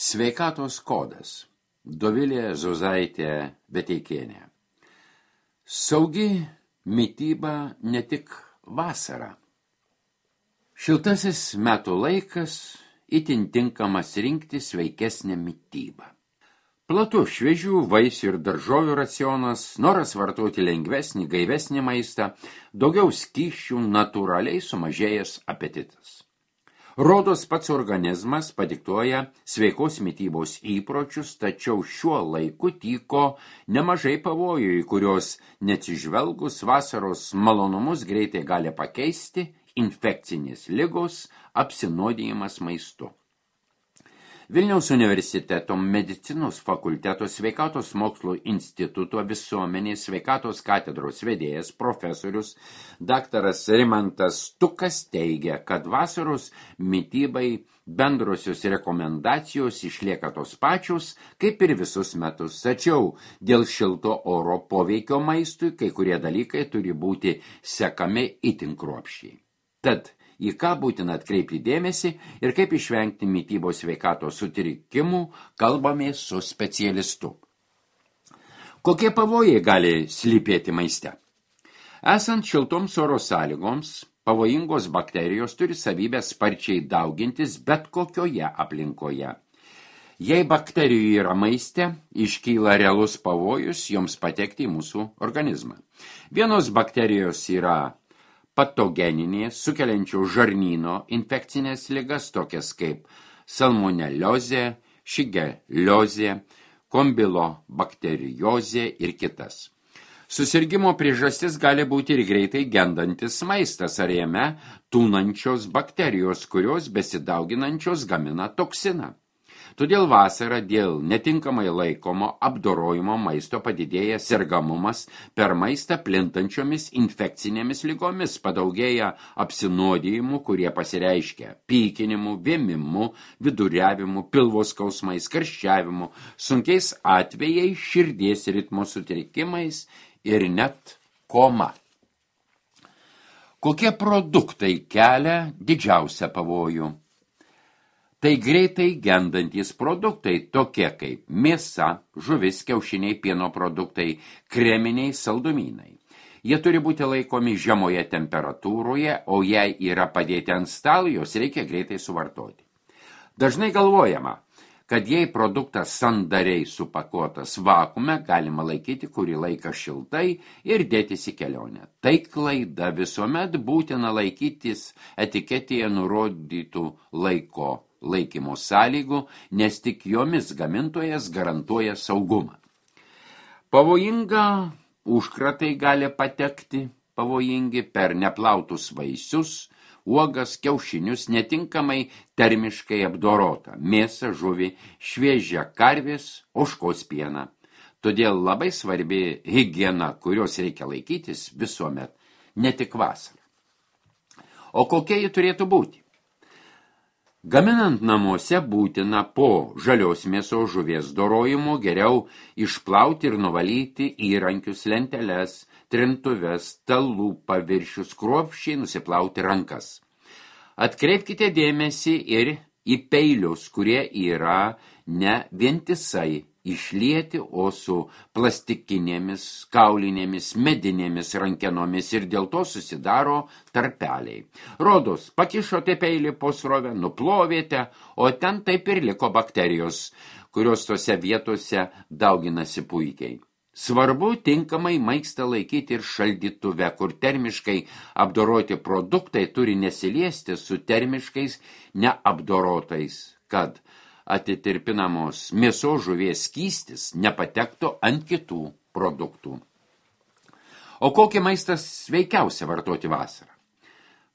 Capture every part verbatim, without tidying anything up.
Sveikatos kodas. Dovilė Zuzaitė Beteikienė. Saugi mityba ne tik vasara. Šiltasis metų laikas itin tinkamas rinkti sveikesnę mitybą. Platu šviežių vaisių ir daržovių racionas, noras vartoti lengvesnį, gaivesnį maistą, daugiau skysčių, natūraliai sumažėjęs apetitas. Rodos pats organizmas padiktuoja sveikos mitybos įpročius, tačiau šiuo laiku tyko nemažai pavojų, į kurios neatsižvelgus vasaros malonumus greitai gali pakeisti infekcinės ligos, apsinuodijimas maistu. Vilniaus universiteto medicinos fakulteto sveikatos mokslo instituto visuomenės sveikatos katedros vedėjas profesorius daktaras Rimantas Stukas teigia, kad vasaros mitybai bendrosios rekomendacijos išlieka tos pačios, kaip ir visus metus. Tačiau dėl šilto oro poveikio maistui kai kurie dalykai turi būti sekami itin kruopščiai. Tad į ką būtina atkreipti dėmesį ir kaip išvengti mitybos sveikatos sutrikimų, kalbamės su specialistu. Kokie pavojai gali slypėti maiste? Esant šiltoms oro sąlygoms, pavojingos bakterijos turi savybę sparčiai daugintis bet kokioje aplinkoje. Jei bakterijų yra maiste, iškyla realus pavojus joms patekti į mūsų organizmą. Vienos bakterijos yra patogeninės, sukeliančios žarnyno infekcinės ligas, tokias kaip salmoneliozė, šigeliozė, kombilobakteriozė ir kitas. Susirgimo priežastis gali būti ir greitai gendantis maistas ar jame tūnančios bakterijos, kurios besidauginančios gamina toksiną. Todėl vasarą dėl netinkamai laikomo apdorojimo maisto padidėja sergamumas per maistą plintančiomis infekcinėmis ligomis, padaugėja apsinuodijimų, kurie pasireiškia pykinimu, vėmimu, viduriavimu, pilvo skausmais, karščiavimu, sunkiais atvejais, širdies ritmo sutrikimais ir net koma. Kokie produktai kelia didžiausią pavojų? Tai greitai gendantys produktai, tokie kaip mėsa, žuvis, kiaušiniai, pieno produktai, kreminiai saldumynai. Jie turi būti laikomi žemoje temperatūroje, o jei yra padėti ant stalo, jos reikia greitai suvartoti. Dažnai galvojama, kad jei produktas sandariai supakuotas vakuume, galima laikyti kurį laiką šiltai ir dėtis į kelionę. Tai klaida, visuomet būtina laikytis etiketėje nurodytų laiko laikymo sąlygų, nes tik jomis gamintojas garantuoja saugumą. Pavojinga užkratai gali patekti, pavojingi per neplautus vaisius, uogas, kiaušinius, netinkamai termiškai apdorotą, mėsą, žuvį, šviežią karvės, ožkos pieną. Todėl labai svarbi higiena, kurios reikia laikytis visuomet, ne tik vasarą. O kokia ji turėtų būti? Gaminant namuose būtina po žalios mėsos žuvies dorojimo geriau išplauti ir nuvalyti įrankius, lenteles, trintuves, stalų paviršius, kruopščiai nusiplauti rankas. Atkreipkite dėmesį ir į peilius, kurie yra ne vientisai išlieti, o su plastikinėmis, kaulinėmis, medinėmis rankenomis ir dėl to susidaro tarpeliai. Rodos, pakišote peilį po srovę, nuplovėte, o ten taip ir liko bakterijos, kurios tose vietose dauginasi puikiai. Svarbu tinkamai maistą laikyti ir šaldytuve, kur termiškai apdoroti produktai turi nesiliesti su termiškais neapdorotais, kad atitirpinamos mėsos žuvies skystis nepatektų ant kitų produktų. O kokį maistą sveikiausia vartoti vasarą?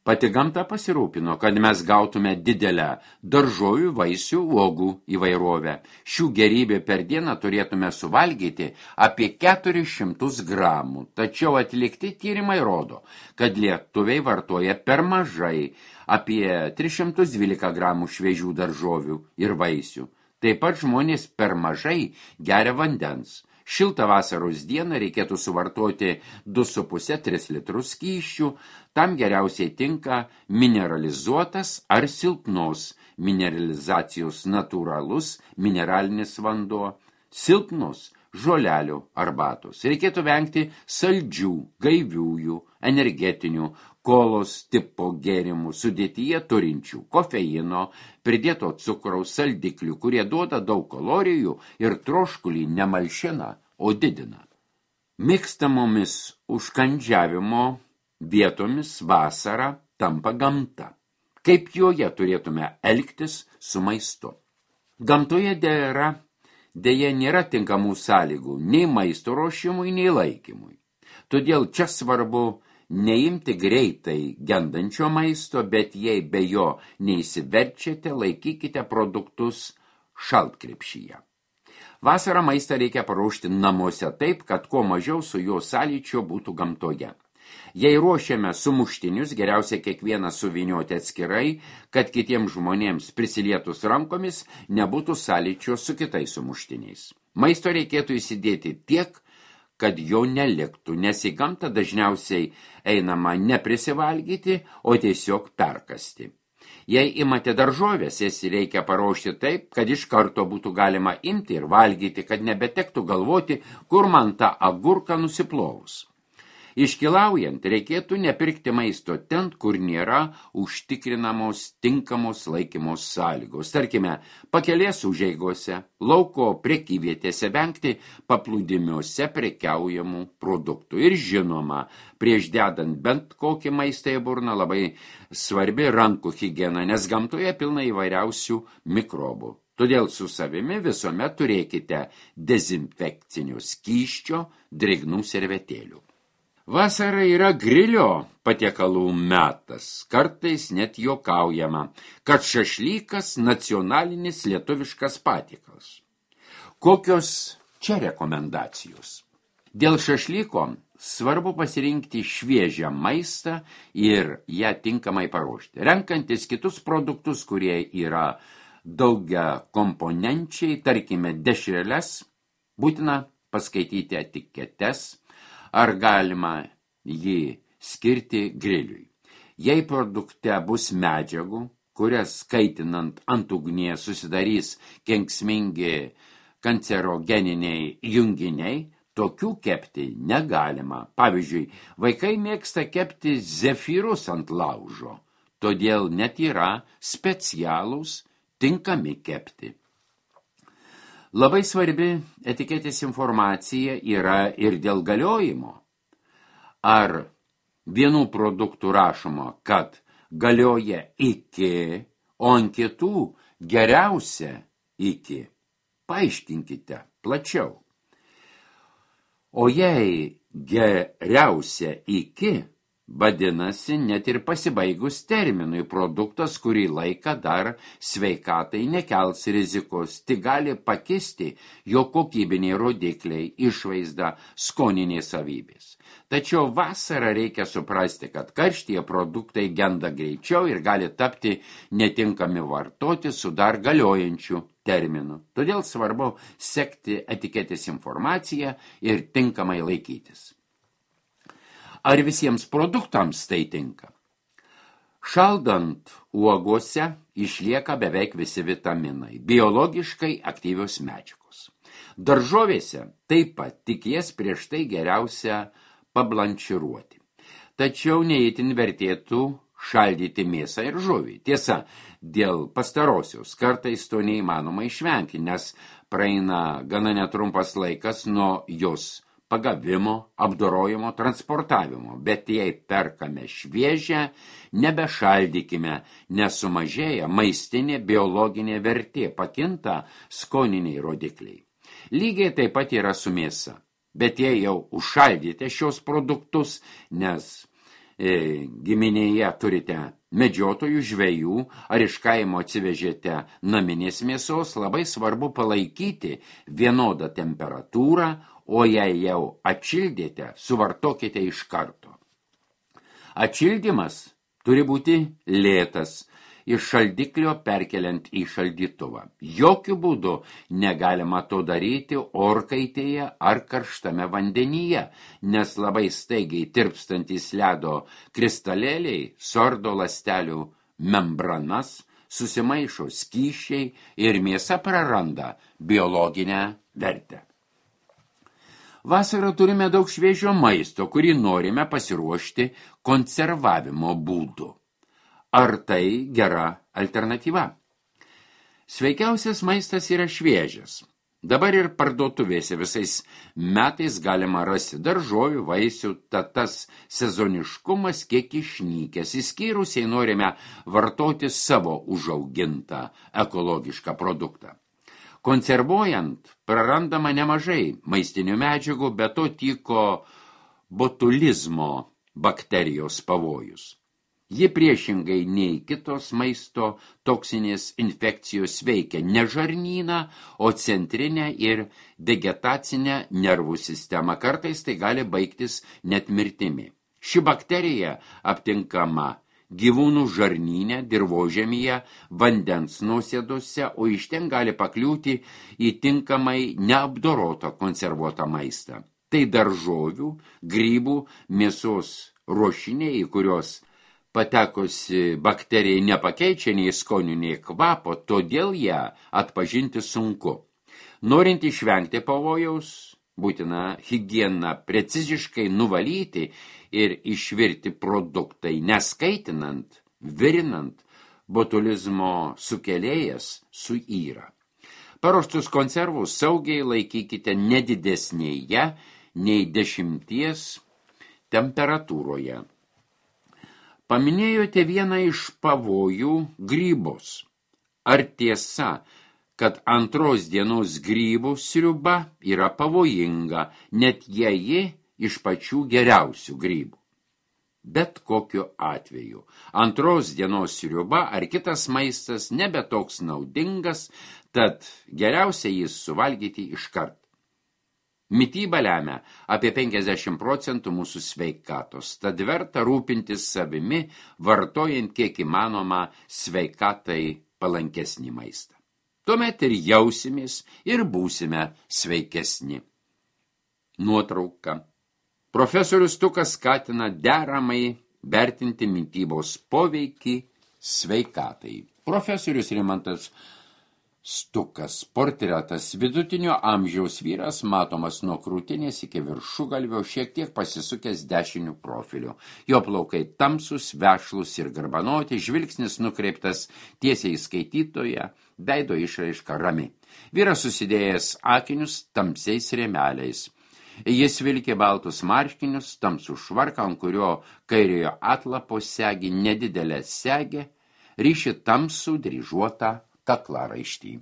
Pati gamta pasirūpino, kad mes gautume didelę daržovių, vaisių, uogų įvairovę. Šių gerybė per dieną turėtume suvalgyti apie keturis šimtus gramų, tačiau atlikti tyrimai rodo, kad lietuviai vartoja per mažai, apie tris šimtus dvylika gramų šviežių daržovių ir vaisių. Taip pat žmonės per mažai geria vandens. Šiltą vasaros dieną reikėtų suvartoti du su puse - tris litrus skysčių, tam geriausiai tinka mineralizuotas ar silpnos mineralizacijos natūralus mineralinis vanduo, silpnos žolelių arbatos. Reikėtų vengti saldžių, gaiviųjų, energetinių, kolos tipo gėrimų sudėtyje turinčių kofeino, pridėto cukraus, saldiklių, kurie duoda daug kalorijų ir troškulį nemalšina, o didina. Mėgstamomis užkandžiavimo vietomis vasara tampa gamta. Kaip joje turėtume elgtis su maistu? Gamtoje dėra Deja nėra tinkamų sąlygų nei maisto ruošimui, nei laikymui. Todėl čia svarbu neimti greitai gendančio maisto, bet jei be jo neįsiverčiate, laikykite produktus šaltkrepšyje. Vasarą maistą reikia paruošti namuose taip, kad kuo mažiau su jo sąlyčio būtų gamtoje. Jei ruošiame sumuštinius, geriausia kiekvieną suvynioti atskirai, kad kitiems žmonėms prisilietus rankomis nebūtų sąlyčio su kitais sumuštiniais. Maisto reikėtų įsidėti tiek, kad jo neliktų, nes į gamtą dažniausiai einama neprisivalgyti, o tiesiog perkasti. Jei imate daržovės, jas reikia paruošti taip, kad iš karto būtų galima imti ir valgyti, kad nebetektų galvoti, kur man tą agurką nusiplovus. Iškilaujant, reikėtų nepirkti maisto ten, kur nėra užtikrinamos tinkamos laikymos sąlygos. Tarkime, pakelės užeigose, lauko prekyvietėse vengti paplūdimiuose prekiaujamų produktų. Ir žinoma, prieš dedant bent kokį maistą į burną labai svarbi rankų higiena, nes gamtoje pilna įvairiausių mikrobų. Todėl su savimi visuomet turėkite dezinfekcinio skysčio, drėgnų servetėlių. Vasara yra grilio patiekalų metas, kartais net juokaujama, kad šašlykas nacionalinis lietuviškas patiekalas. Kokios čia rekomendacijos? Dėl šašlyko svarbu pasirinkti šviežią maistą ir ją tinkamai paruošti. Renkantis kitus produktus, kurie yra daugia komponenčiai, tarkime dešreles, būtina paskaityti etiketes, ar galima jį skirti griliui. Jei produkte bus medžiagų, kurias kaitinant ant ugnies susidarys kenksmingi kancerogeniniai junginiai, tokių kepti negalima. Pavyzdžiui, vaikai mėgsta kepti zefyrus ant laužo, todėl net yra specialūs tinkami kepti. Labai svarbi etiketės informacija yra ir dėl galiojimo. Ar vienų produktų rašoma, kad galioja iki, o ant kitų geriausia iki? Paaiškinkite plačiau. O jei geriausia iki, vadinasi, net ir pasibaigus terminui produktas, kurį laiką dar sveikatai nekels rizikos, tik gali pakisti jo kokybiniai rodikliai, išvaizda, skoniniai savybės. Tačiau vasarą reikia suprasti, kad karštyje produktai genda greičiau ir gali tapti netinkami vartoti su dar galiojančiu terminu. Todėl svarbu sekti etiketės informaciją ir tinkamai laikytis. Ar visiems produktams tai tinka? Šaldant uogose išlieka beveik visi vitaminai, biologiškai aktyvios medžiagos. Daržovėse taip pat, tik jas prieš tai geriausia pablanširuoti. Tačiau neįtin vertėtų šaldyti mėsą ir žuvį. Tiesa, dėl pastarosios kartais to neįmanoma išvengti, nes praeina gana netrumpas laikas nuo jos pagavimo, apdorojimo, transportavimo, bet jei perkame šviežią, nebešaldykime, nes sumažėja maistinė biologinė vertė, pakinta skoniniai rodikliai. Lygiai taip pat yra su mėsa, bet jei jau užšaldyti šios produktus, nes e, giminėje turite medžiotojų, žvejų ar iš kaimo atsivežėte naminės mėsos, labai svarbu palaikyti vienodą temperatūrą, o jei jau atšildėte, suvartokite iš karto. Atšildymas turi būti lėtas iš šaldiklio perkeliant į šaldytuvą. Jokių būdų negalima to daryti orkaitėje ar karštame vandenyje, nes labai staigiai tirpstantys ledo kristalėliai sordo ląstelių membranas, susimaišo skysčiai ir mėsa praranda biologinę vertę. Vasarą turime daug šviežio maisto, kurį norime pasiruošti konservavimo būdu. Ar tai gera alternatyva? Sveikiausias maistas yra šviežias. Dabar ir parduotuvėse visais metais galima rasti daržovių, vaisių, tad tas sezoniškumas kiek išnykęs. Išskyrus, jei norime vartoti savo užaugintą ekologišką produktą. Konservuojant prarandama nemažai maistinių medžiagų, bet to tyko botulizmo bakterijos pavojus. Ji priešingai nei kitos maisto toksinės infekcijos veikia ne žarnyną, o centrinę ir vegetacinę nervų sistemą. Kartais tai gali baigtis net mirtimi. Ši bakterija aptinkama gyvūnų žarnyne, dirvožemyje, vandens nuosėdose, o iš ten gali pakliūti į tinkamai neapdorotą konservuotą maistą. Tai daržovių, grybų, mėsos ruošiniai, į kurios patekusi bakterijai nepakeičia nei skonių, nei kvapo, todėl ją atpažinti sunku. Norint išvengti pavojaus, būtina higieną preciziškai nuvalyti ir išvirti produktai, neskaitinant, virinant, botulizmo sukėlėjas suyra. Paruoštus konservus saugiai laikykite nedidesnėje nei dešimties temperatūroje. Paminėjote vieną iš pavojų grybus. Ar tiesa, kad antros dienos grybų sriuba yra pavojinga, net jei ji iš pačių geriausių grybų? Bet kokiu atveju, antros dienos sriuba ar kitas maistas nebe toks naudingas, tad geriausia jis suvalgyti iškart. Mityba lemia apie penkiasdešimt procentų mūsų sveikatos, tad verta rūpintis savimi, vartojant kiek įmanoma sveikatai palankesnį maistą. Tuomet ir jausimės ir būsime sveikesni. Nuotrauka. Profesorius Stukas skatina deramai vertinti mitybos poveikį sveikatai. Profesorius Rimantas Stukas, portretas, vidutinio amžiaus vyras, matomas nuo krūtinės iki viršugalvio, šiek tiek pasisukęs dešiniu profiliu. Jo plaukai tamsus, vešlus ir garbanoti, žvilgsnis nukreiptas tiesiai į skaitytoją, veido išraiška rami. Vyras susidėjęs akinius tamsiais rėmeliais. Jis vilkė baltus marškinius, tamsų švarką, ant kurio kairiojo atlapo segi nedidelę segę, ryši tamsų dryžuotą kaklaraištį.